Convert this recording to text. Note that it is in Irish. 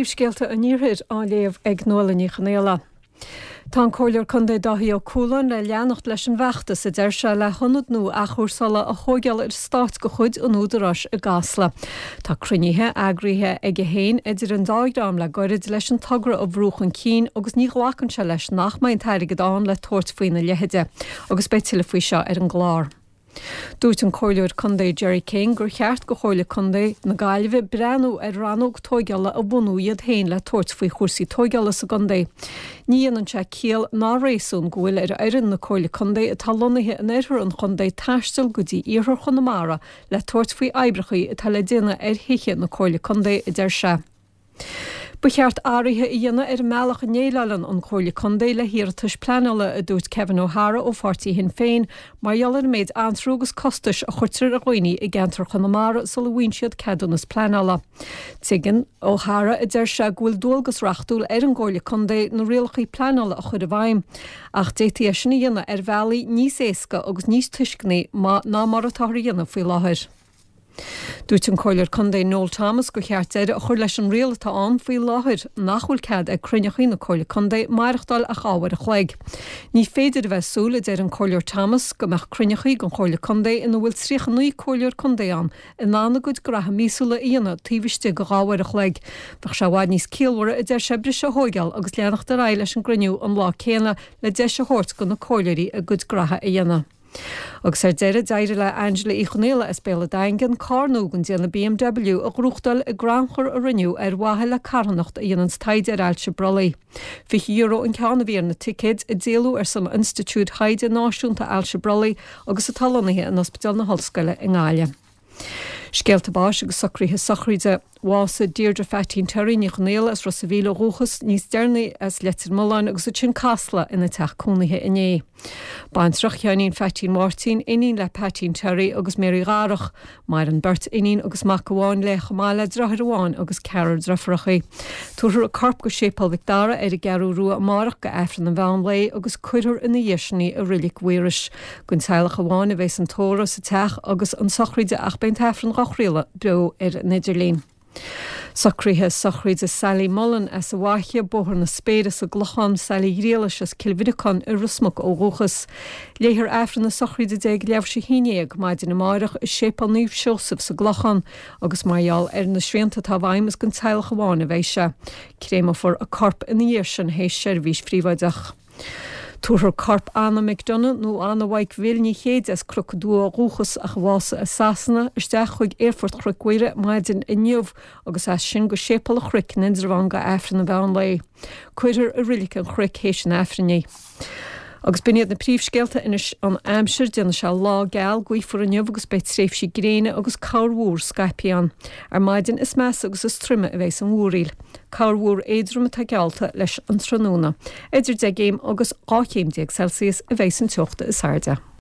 Príomhscéalta an Iarthair á léamh ag Nuala Ní Chonaola. Tá an Comhairleoir Contae Dáithí Ó Cualáin le leanacht leis an bhfeachtas, a deir sé, le hionad nua athchúrsála a thóigeáil ar eastát de chuid an Údaráis i gCasla. Tá cruinnithe eagraithe aige féin idir an dá dhream le goirid leis an togra a bhrú chun cinn agus ní ghlacann sé leis nach mbeidh an t-airgead ann le tabhairt faoina leithide agus beidh tuilleadh faoi seo ar an gclár. Dúirt an Comhairleoir Contae Gerry King gur cheart go Chomhairle Contae na Gaillimhe breathnú ar rannóg tóigeála a bhunú iad féin le tabhairt faoi chúrsaí tóigeála sa gcontae. Ní dhéanann sé ciall ná réasún go bhfuil ar fhoireann na Comhairle Contae atá lonnaithe in oirthear an chontae taisteal go dtí iarthar Chonamara le tabhairt faoi oibreachaí atá le déanamh ar thithe na Comhairle Contae, a deir sé. Ba cheart athruithe a dhéanamh ar an mbealach a ndéileálann an Chomhairle Contae le hiarratais pleanála, a dúirt Kevin O'Hara ó pháirtí Shinn Féin, mar gheall ar an méid antrú agus costais a chuirtear ar dhaoine i gceantar Chonamara sula bhfaigheann siad ceadúnas pleanála. Tuigeann O'Hara, a deir sé, go bhfuil dualgas reachtúil ar an gComhairle Contae na rialacha pleanála a chur i bhfeidhm, ach d'fhéadfaí é sin a dhéanamh ar bhealaí níos éasca agus níos tuisceanaí ná mar atáthar a dhéanamh faoi láthair. Dúirt an Comhairleoir Contae Noel Thomas gur cheart deireadh a chur leis an riail atá ann faoi láthair nach bhfuil cead ag cruinneachaí na Comhairle Contae maireachtáil ach 2 uair a chloig. Ní féidir a bheith ag súil, a deir an Comhairleoir Thomas, go mbeadh cruinneachaí den Chomhairle Contae ina bhfuil 39 Comhairleoir Contae ann in ann a gcuid graithe míosúla a dhéanamh taobh istigh de 2 uair a chloig. Bheadh sé i bhfad níos ciallmhaire, a deir sé, briseadh a thóigeáil agus leanacht ar aghaidh leis an gcruinniú an lá céanna le deis a thabhairt do na Comhairleoirí a gcuid graithe a dhéanamh. Agus ar deireadh, d'éirigh le Angela Uí Chonaola as Béal an Daingin carr nua den déanamh BMW a ghnóthachtáil i gcrannchur a rinneadh ar mhaithe le carthanacht a dhéananns taighde ar ailse brollaigh. €20 an ceann a bhí ar na ticéid, a díoladh ar son Institiúid Thaighde Náisiúnta Ailse Brollaigh agus atá lonnaithe in Ospidéal na hOllscoile i nGaillimh. Scéalta báis agus socruithe sochraide. Bhásaigh Deirdre Pheaitín Terry Ní Chonaola as Ros a' Mhíl ó dhúchas, níos deireanaí as Leitir Mealláin agus ansin Casla ina teach cónaithe inné. Baintreach Sheáinín Pheaitín Mháirtín, iníon le Peaitín Terry agus Mary Dharach. Maireann beirt iníon agus mac amháin léi chomh maith le deartháir amháin agus ceathrar deirfiúrachaí. Tabharfar a corp go Séipéal Mhic Dara ar an gCeathrú Rua amárach go Aifreann an mheán lae agus cuirfear ina dhiaidh sin í i Reilig Mhaorais. Don teaghlach amháin a bheas an tórramh sa teach agus an sochraid ach beidh an t-aifreann dhá chraoladh beo ar an idirlíon. Socruithe sochraide Sally Mullen as an bhFaiche, Bóthar na Spéire sa gClochán, Sally Ghriallais as Cill Bhriocáin i Ros Muc ó dhúchas. Léifear Aifreann na sochraide di ag leathuair tar éis 11 maidin amárach i Séipéal Naomh Seosamh sa gClochán agus mar gheall ar na srianta atá i bhfeidhm is don teaghlach amháin a bheidh sé. Créamófar a corp ina dhiaidh sin théis seirbhís phríobháideach. Tabharfar corp Anna McDonagh, nó Anna Mhaidhc Bhill Ní Chéide as Cnoc an Dua ó dhúchas ach a bhásaigh i Sasana, isteach chuig Aerfort Chnoc Mhuire maidin inniu agus as sin go Séipéal an Chnoic in Indreabhán go Aifreann an mheán lae. Cuirfear i Reilig an Chnoic théis an Aifrinn í. Agus b'in iad na príomhscéalta anois an aimsir. Déanfaidh sé lá geal gaofar inniu agus beidh tréimhsí gréine agus corrmhúr scaipthe ann. Ar maidin is measa agus is troime a bheas an mhúraíl. Corrmhúr éadrom atá geallta leis an tráthnóna. Idir 10 gcéim agus 12 chéim Celsius a bheas an teocht is airde.